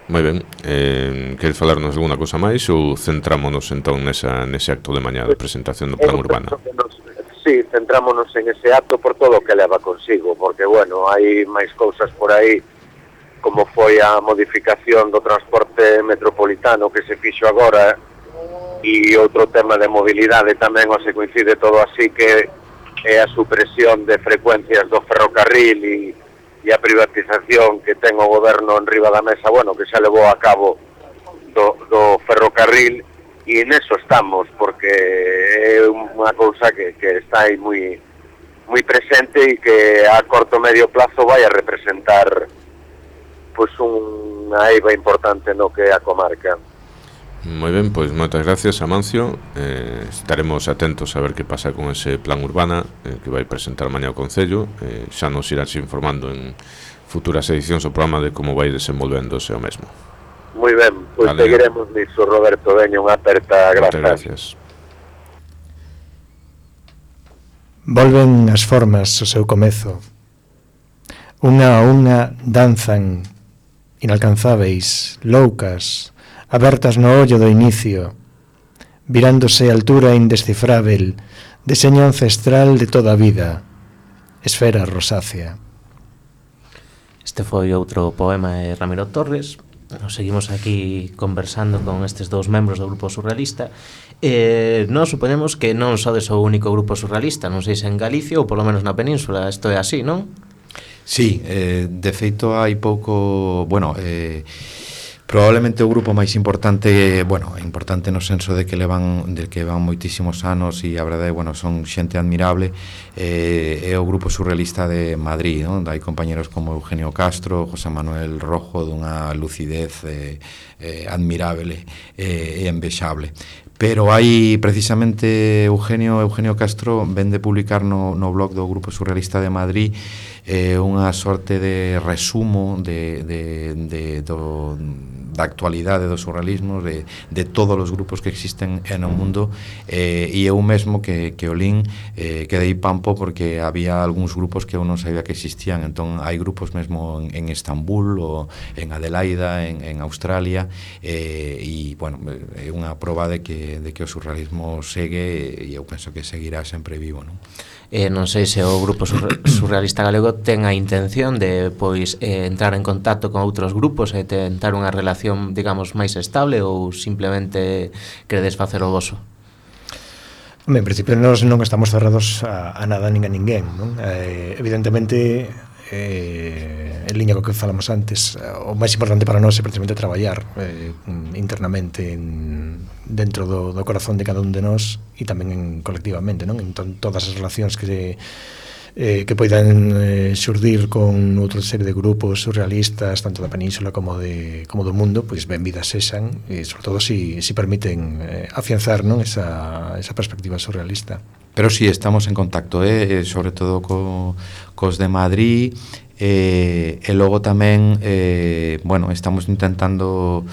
[SPEAKER 2] Moi ben, eh, queres falarnos alguna cosa máis ou centrámonos entón nesa, nese acto de mañá de presentación do Plan Urbana?
[SPEAKER 6] Sí, centrámonos en ese acto por todo o que leva consigo, porque, bueno, hai máis cousas por aí, como foi a modificación do transporte metropolitano que se fixo agora, e outro tema de mobilidade tamén, o se coincide todo así, que é a supresión de frecuencias do ferrocarril e e a privatización que ten o goberno en riba da mesa, bueno, que xa levou a cabo do, do ferrocarril, e neso estamos, porque é unha cousa que, que está aí moi, moi presente e que a corto medio plazo vai a representar pois unha eiva importante no que é a comarca.
[SPEAKER 2] Moi ben, pois moitas gracias, Amancio. Eh, estaremos atentos a ver que pasa con ese Plan Urbana eh, que vai presentar mañá o Concello. Eh, xa nos irás informando en futuras edicións o programa de como vai desenvolvéndose o mesmo.
[SPEAKER 6] Moi ben, pois vale, seguiremos nisso, Roberto. Veña, unha aperta, grazas.
[SPEAKER 2] Gracias.
[SPEAKER 3] Volven as formas o seu comezo. Unha a unha danzan inalcanzáveis, loucas, abertas no ollo do inicio, virándose a altura indescifrável, deseño ancestral de toda a vida, esfera rosácea.
[SPEAKER 1] Este foi outro poema de Ramiro Torres. Nos seguimos aquí conversando con estes dous membros do grupo surrealista. Eh, nós suponemos que non sodes o único grupo surrealista, non sei se en Galicia ou polo menos na península, isto é así, non?
[SPEAKER 4] Sí, eh, de feito hai pouco, bueno, eh, probablemente o grupo máis importante, bueno, importante no senso de que levan de que van moitísimos anos e a verdade, bueno, son xente admirable, eh, é o grupo surrealista de Madrid, non? Hai compañeros como Eugenio Castro, José Manuel Rojo, dunha lucidez eh, eh, admirable eh, e envexable. Pero hai precisamente Eugenio Eugenio Castro ven de publicar no, no blog do Grupo Surrealista de Madrid eh, unha sorte de resumo de, de, de, do, da actualidade do surrealismo, de, de todos os grupos que existen no mundo, eh, e eu mesmo que, que o lin eh, quedei pampo porque había algúns grupos que eu non sabía que existían. Entón hai grupos mesmo en, en Estambul ou en Adelaida, en, en Australia, eh, e bueno, é unha proba de que, de que o surrealismo segue e eu penso que seguirá sempre vivo, non?
[SPEAKER 1] Eh, non sei se o grupo surrealista galego ten a intención de pois eh, entrar en contacto con outros grupos e tentar unha relación, digamos, máis estable, ou simplemente queredes facer o voso?
[SPEAKER 3] En principio nós non estamos cerrados a, a nada nin a ninguén, non? Eh, evidentemente eh, en liña co que falamos antes, o máis importante para nós é precisamente traballar eh, internamente en, dentro do, do corazón de cada un de nós e tamén en, colectivamente, non? Entón, todas as relacións que eh, que poidan eh, xurdir con outra serie de grupos surrealistas tanto da península como de como do mundo, pois benvidas sexan, e sobre todo si, si permiten eh, afianzar, non, esa, esa perspectiva surrealista.
[SPEAKER 4] Pero si sí, estamos en contacto, eh, sobre todo co, cos de Madrid, eh, e logo tamén eh, bueno, estamos intentando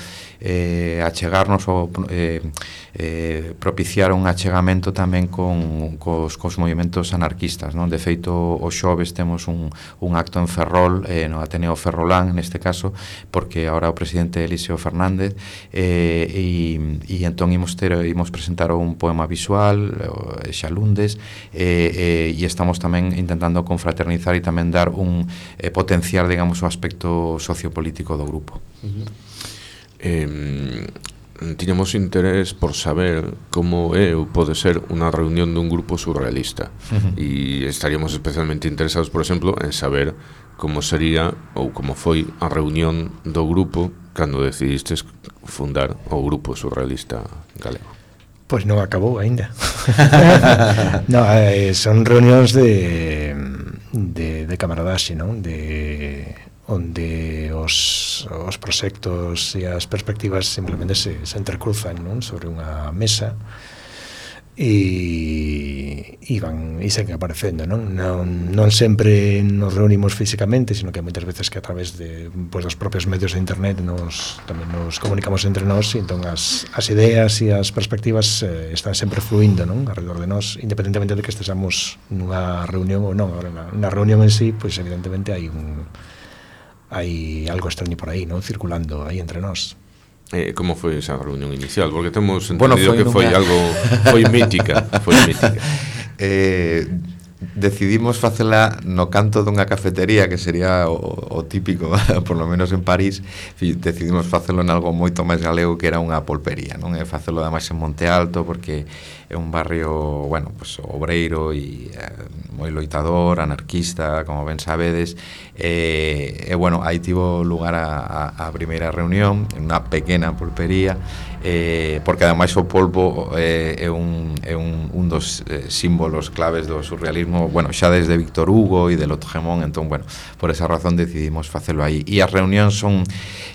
[SPEAKER 4] eh, achegarnos ou eh, eh, propiciar un achegamento tamén con cos, cos movimentos anarquistas, non? De feito, o xoves temos un, un acto en Ferrol, eh, no Ateneo Ferrolán neste caso, porque ahora o presidente Eliseo Fernández, eh, e, e entón imos, ter, imos presentar un poema visual, eh, Xalundes, eh, eh, e estamos tamén intentando confraternizar e tamén dar un eh, potenciar, digamos, o aspecto sociopolítico do grupo.
[SPEAKER 2] Uh-huh. Eh, tiñamos interés por saber como é ou pode ser unha reunión dun grupo surrealista, uh-huh. e estaríamos especialmente interesados, por exemplo, en saber como sería ou como foi a reunión do grupo cando decidistes fundar o Grupo Surrealista Galego.
[SPEAKER 3] Pois non acabou aínda. No, eh, son reunións de de, de camaradaxe, non? De onde os, os proxectos e as perspectivas simplemente se, se entrecruzan, non? Sobre unha mesa, e, e van e seguen aparecendo, non? Non, non sempre nos reunimos físicamente, sino que moitas veces que a través de, pues, dos propios medios de internet nos, tamén nos comunicamos entre nós, e entón as, as ideas e as perspectivas eh, están sempre fluindo, non? Alrededor de nós, independentemente de que estesamos nunha reunión ou non. Agora, na, na reunión en sí, pois pues, evidentemente hai un hai algo extraño por aí, non? Circulando aí entre nós.
[SPEAKER 2] Eh, como foi esa reunión inicial? Porque temos entendido
[SPEAKER 4] bueno, foi
[SPEAKER 2] que foi
[SPEAKER 4] nunha...
[SPEAKER 2] algo foi mítica, foi mítica.
[SPEAKER 4] eh, decidimos facela no canto dunha cafetería, que sería o, o típico, por lo menos en París. Decidimos facelo en algo moito máis galego, que era unha polpería, non? E facelo ademais en Monte Alto, porque é un barrio, bueno, pues obreiro e eh, moi loitador, anarquista, como ben sabedes. E, e bueno, aí tivo lugar a, a, a primeira reunión en unha pequena polpería, eh, porque ademais o polvo eh, é un, é un, un dos eh, símbolos claves do surrealismo, bueno, xa desde Víctor Hugo e del Otgemón. Entón, bueno, por esa razón decidimos facelo aí. E as reunións son,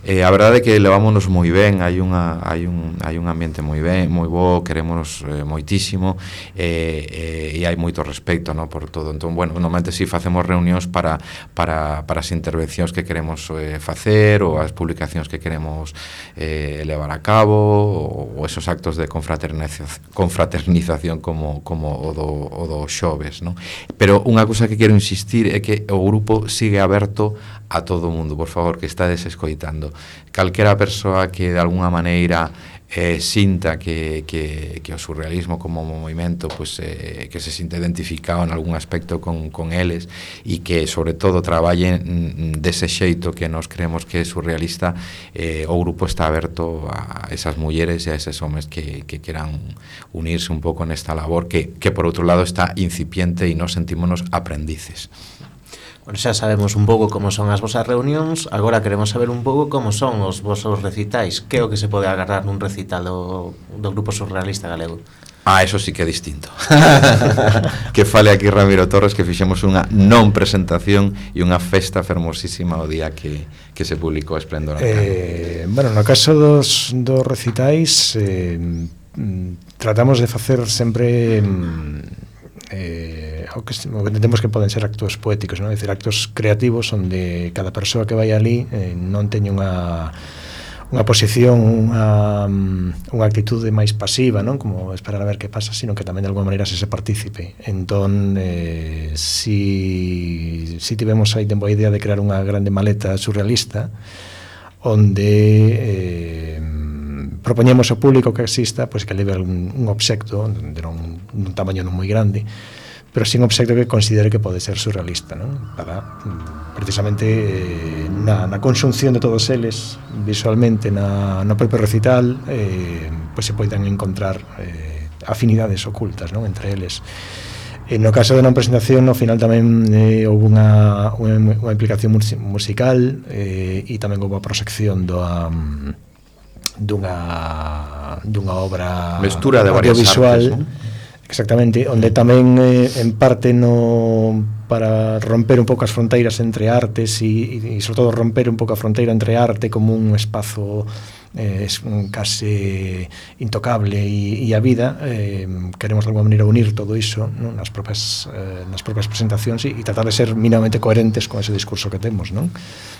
[SPEAKER 4] eh, a verdade é que levámonos moi ben, hai unha hai un hai un ambiente moi ben, moi bo, queremos eh, moitísimo, eh, eh, e hai moito respecto, no, por todo. Entón, bueno, normalmente si facemos reunións para para para as intervencións que queremos eh, facer, ou as publicacións que queremos eh, levar a cabo, ou esos actos de confraternización, confraternización como, como o, do, o do xoves, non? Pero unha cousa que quero insistir é que o grupo sigue aberto a todo o mundo, por favor, que estades escoitando. Calquera persoa que de alguna maneira eh, sinta que, que, que o surrealismo como movimento, pues, eh, que se sinta identificado en algún aspecto con, con eles, e que sobre todo traballe dese xeito que nos creemos que é surrealista, eh, o grupo está aberto a esas mulleres e a eses homes que, que queran unirse un pouco nesta labor que, que por outro lado está incipiente e nos sentímonos aprendices.
[SPEAKER 1] Bueno, xa sabemos un pouco como son as vosas reunións, agora queremos saber un pouco como son os vosos recitais. Que é o que se pode agarrar nun recital do, do Grupo Surrealista Galego?
[SPEAKER 4] Ah, eso sí que é distinto. Que fale aquí Ramiro Torres, que fixemos unha non presentación e unha festa fermosísima o día que, que se publicou Esplendor.
[SPEAKER 3] Eh, bueno, no caso dos, dos recitais, eh, tratamos de facer sempre... Eh, o que, o que entendemos que poden ser actos poéticos, non? É dicir, actos creativos onde cada persoa que vai ali eh, non teña unha unha posición, unha, unha actitude máis pasiva, non? Como esperar a ver que pasa, sino que tamén de alguma maneira se se partícipe. Entón, eh, si, si tivemos aí tempo a idea de crear unha grande maleta surrealista onde eh, propoñemos ao público que exista, pois, que leve un, un obxecto de un, un tamaño non moi grande, pero sin obxecto que considere que pode ser surrealista, non? Para precisamente eh, na, na conxunción de todos eles visualmente na, no propio recital, eh, pois se poidan encontrar eh, afinidades ocultas, non? Entre eles. E no caso de non presentación, no final tamén eh, houve unha, unha, unha implicación musical, eh, e tamén houve a proxección do um, dunha dunha obra
[SPEAKER 4] mestura de varias
[SPEAKER 3] audiovisual,
[SPEAKER 4] artes, ¿no?
[SPEAKER 3] Exactamente, onde tamén eh, en parte no para romper un pouco as fronteiras entre artes e, e sobre todo romper un pouco a fronteira entre arte como un espazo eh, case intocable e, e a vida, eh, queremos de alguma maneira unir todo iso, non? Nas propias eh, nas propias presentacións e, e tratar de ser mínimamente coherentes con ese discurso que temos, non?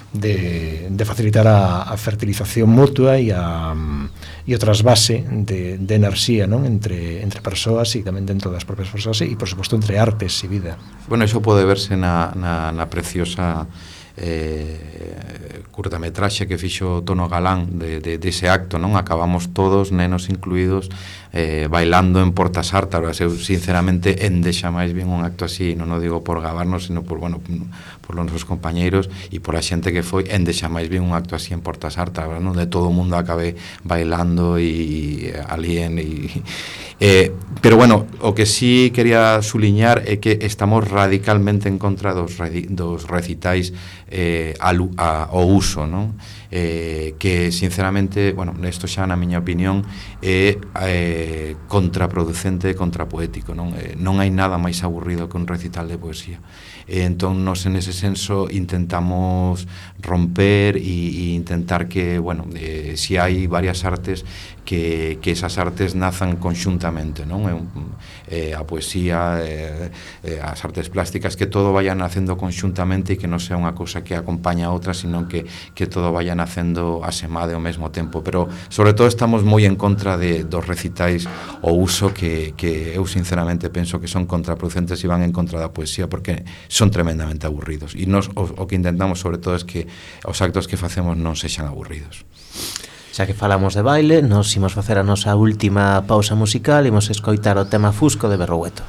[SPEAKER 3] De, de facilitar a, a fertilización mutua e a e o trasvase de, de enerxía, non? Entre, entre persoas e tamén dentro das propias persoas e, por suposto, entre artes e vida.
[SPEAKER 4] Bueno, iso pode verse na, na, na preciosa eh, curtametraxe que fixo Tono Galán de, de, de ese acto, non? Acabamos todos, nenos incluídos, eh, bailando en Portas Ártaras. Eu, sinceramente, endexa máis bien un acto así, non o digo por gabarnos, sino por, bueno, por os nosos compañeiros e por a xente que foi, endexa máis bien un acto así en Portas Ártaras, non? De todo o mundo acabe bailando e alien e... Eh, pero bueno, o que sí quería suliñar é que estamos radicalmente en contra dos, dos recitais eh, al, a, ao uso, non? Eh, que sinceramente, bueno, isto xa na miña opinión é eh, contraproducente e contrapoético, non? Eh, non hai nada máis aburrido que un recital de poesía. e entón nos en ese senso intentamos romper e, e intentar que, bueno, eh, si hai varias artes que, que esas artes nazan conxuntamente, non? Eh, a poesía, eh, eh, as artes plásticas, que todo vaya nacendo conxuntamente e que non sea unha cousa que acompaña a outra, sino que, que todo vaya nacendo asemade ao mesmo tempo. Pero, sobre todo, estamos moi en contra de, dos recitais o uso que, que eu sinceramente penso que son contraproducentes e van en contra da poesía, porque son tremendamente aburridos. E nos, o, o que intentamos, sobre todo, é que os actos que facemos non sexan aburridos.
[SPEAKER 1] Xa que falamos de baile, nos imos facer a nosa última pausa musical e imos escoitar o tema Fusco de Berrogueto.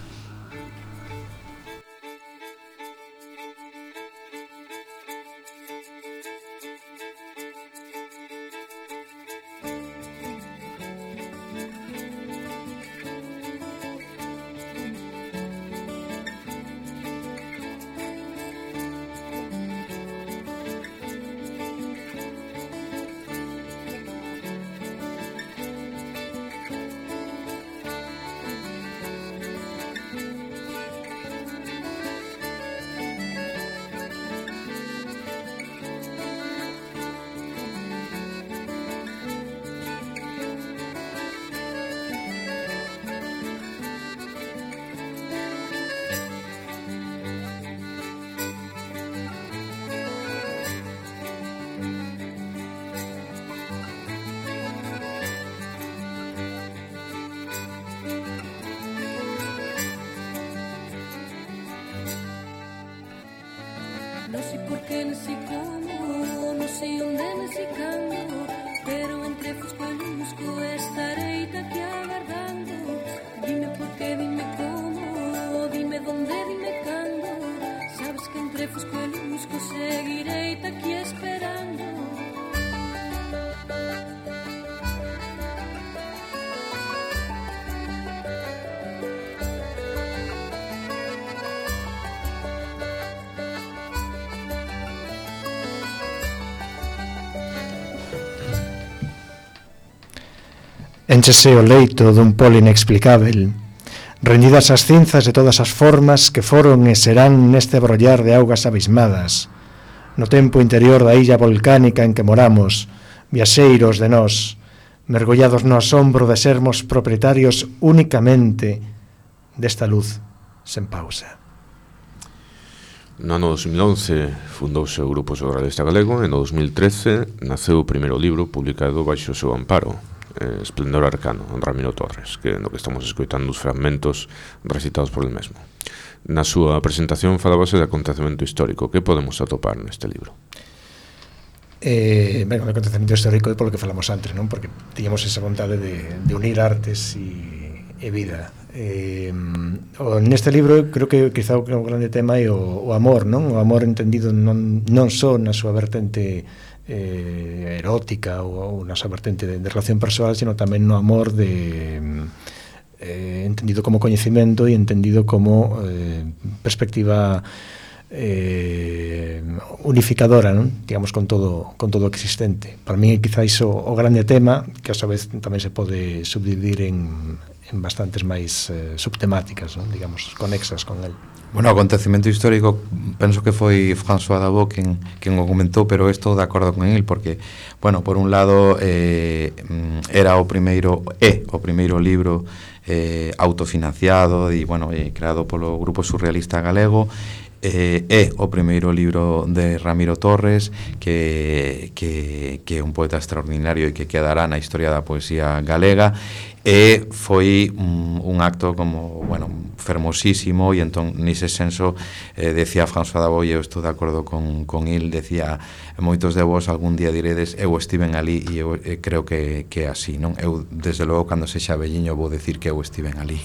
[SPEAKER 7] No sé por qué, no sé cómo, no sé dónde me sé cando, pero entre Fusco e Lusco estarei aquí agardando. Dime por qué, dime cómo, dime dónde, dime cando. Sabes que entre Fusco e Lusco seguirei aquí esperando.
[SPEAKER 3] Énchese o leito dun polo inexplicável, rendidas as cinzas de todas as formas que foron e serán neste brollar de augas abismadas, no tempo interior da illa volcánica en que moramos, viaxeiros de nós, mergollados no asombro de sermos propietarios únicamente desta luz sen pausa.
[SPEAKER 2] No ano dos mil once fundouse o Grupo Surrealista Galego e no dos mil trece naceu o primeiro libro publicado baixo o seu amparo, eh, Esplendor Arcano, Ramiro Torres, que no que estamos escoitando os fragmentos recitados por el mesmo. Na súa presentación falábase de acontecemento histórico. Que podemos atopar neste libro?
[SPEAKER 3] Eh, ben, o acontecemento histórico é polo que falamos antes, non? Porque tiñamos esa vontade de, de unir artes e, e vida. Eh, o, neste libro creo que quizá o grande tema é o, o amor, non? O amor entendido non, non só na súa vertente eh, erótica ou, ou na súa vertente de, de relación persoal, sino tamén no amor de eh, entendido como coñecemento e entendido como eh, perspectiva eh, unificadora, non? Digamos, con todo con todo o existente. Para mí quizáis o, o grande tema, que a súa vez tamén se pode subdividir en, en bastantes máis eh, subtemáticas, non? Digamos, conexas con el.
[SPEAKER 4] Bueno, o acontecemento histórico penso que foi François Dabot quen, quen o comentou, pero estou de acordo con el porque, bueno, por un lado eh, era o primeiro é o primeiro libro eh, autofinanciado e, bueno, eh, creado polo Grupo Surrealista Galego. Eh, é o primeiro libro de Ramiro Torres, que, que, que é un poeta extraordinario e que quedará na historia da poesía galega, e foi un, un acto como, bueno, fermosísimo, e entón nese senso eh, decía François Dabot, e eu estou de acordo con, con il, decía, moitos de vos algún día diredes eu estiven ali, e eu eh, creo que, que é así, non? Eu, desde logo, cando sexa velliño vou decir que eu estiven ali.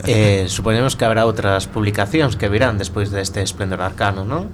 [SPEAKER 1] eh, Suponemos que habrá outras publicacións que virán despois deste Esplendor Arcano, non?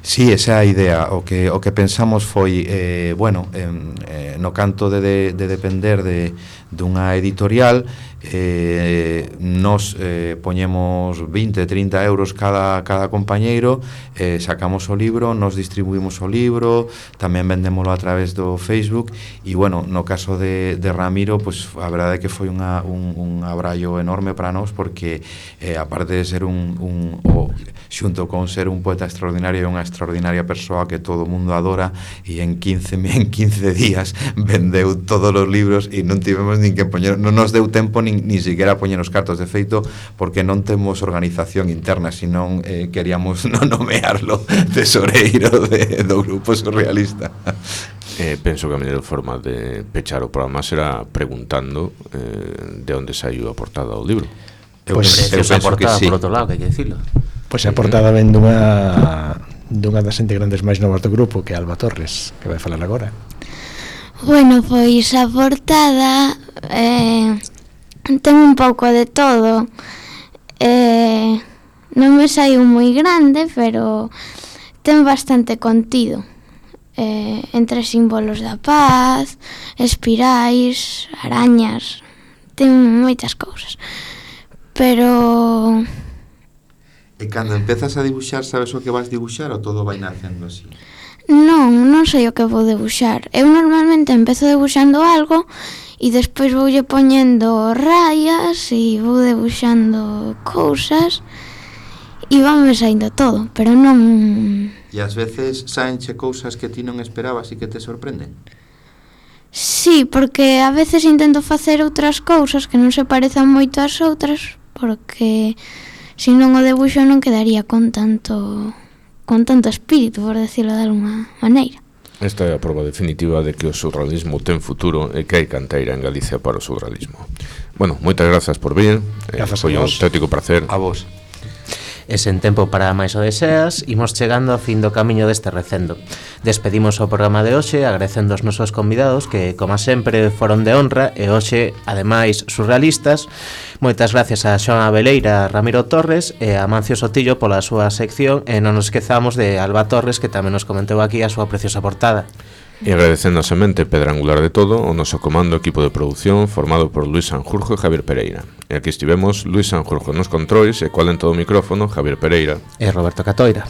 [SPEAKER 4] Sí, esa é a idea. O que, o que pensamos foi, eh, bueno, eh, no canto de, de, de depender de, dunha editorial, eh, nos eh, poñemos vinte, trinta euros cada, cada compañeiro, eh, sacamos o libro, nos distribuimos o libro, tamén vendémolo a través do Facebook, e, bueno, no caso de, de Ramiro, pues, a verdade é que foi unha, un, un abrallo enorme para nós, porque, eh, aparte de ser un, un o, xunto con ser un poeta extraordinario e unha extraordinaria persoa que todo o mundo adora, e en quince, en quince días vendeu todos os libros e non tivemos nin que poñer, non nos deu tempo nin, nin siquiera poñer os cartos de feito, porque non temos organización interna, senón eh, queríamos non nomearlo tesoreiro de, do grupo surrealista.
[SPEAKER 2] Eh, penso que a mellor forma de pechar o programa será preguntando eh, de onde saiu a portada do libro.
[SPEAKER 1] Eu, pues, eu penso portada, que sí. Por outro lado, que hai que dicilo.
[SPEAKER 3] Pois pues a portada ven dunha dunha das integrantes máis novas do grupo, que é Alba Torres, que vai falar agora.
[SPEAKER 8] Bueno, pois a portada eh, ten un pouco de todo. Eh, non me saiu moi grande, pero ten bastante contido. Eh, entre símbolos da paz, espirais, arañas, ten moitas cousas. Pero...
[SPEAKER 4] E cando empezas a dibuixar, sabes o que vas dibuixar ou todo vai nacendo así?
[SPEAKER 8] Non, non sei o que vou debuxar. Eu normalmente empezo debuxando algo e despois voulle poñendo rayas e vou debuxando cousas e vanme saindo todo, pero non...
[SPEAKER 4] E ás veces saenche cousas que ti non esperabas e que te sorprenden?
[SPEAKER 8] Sí, porque a veces intento facer outras cousas que non se parezan moito ás outras, porque se non o debuxo non quedaría con tanto con tanto espírito, por decirlo de alguma maneira.
[SPEAKER 2] Esta é a prova definitiva de que o surrealismo ten futuro e que hai canteira en Galicia para o surrealismo. Bueno, moitas grazas por vir.
[SPEAKER 3] Grazas
[SPEAKER 2] Foi un auténtico placer.
[SPEAKER 4] A vos.
[SPEAKER 1] E sen tempo para máis o deseas, imos chegando ao fin do camiño deste recendo. Despedimos o programa de hoxe agradecendo aos nosos convidados que, como sempre, foron de honra e hoxe, ademais, surrealistas. Moitas gracias a Xoan Abeleira, a Ramiro Torres e a Mancio Sotillo pola súa sección, e non nos esquezamos de Alba Torres, que tamén nos comentou aquí a súa preciosa portada.
[SPEAKER 2] E agradecendo a semente pedra angular de todo o noso comando equipo de produción formado por Luis Sanjurjo e Javier Pereira. E aquí estivemos Luis Sanjurjo nos controis e cual en todo o micrófono Javier Pereira
[SPEAKER 1] e Roberto Catoira.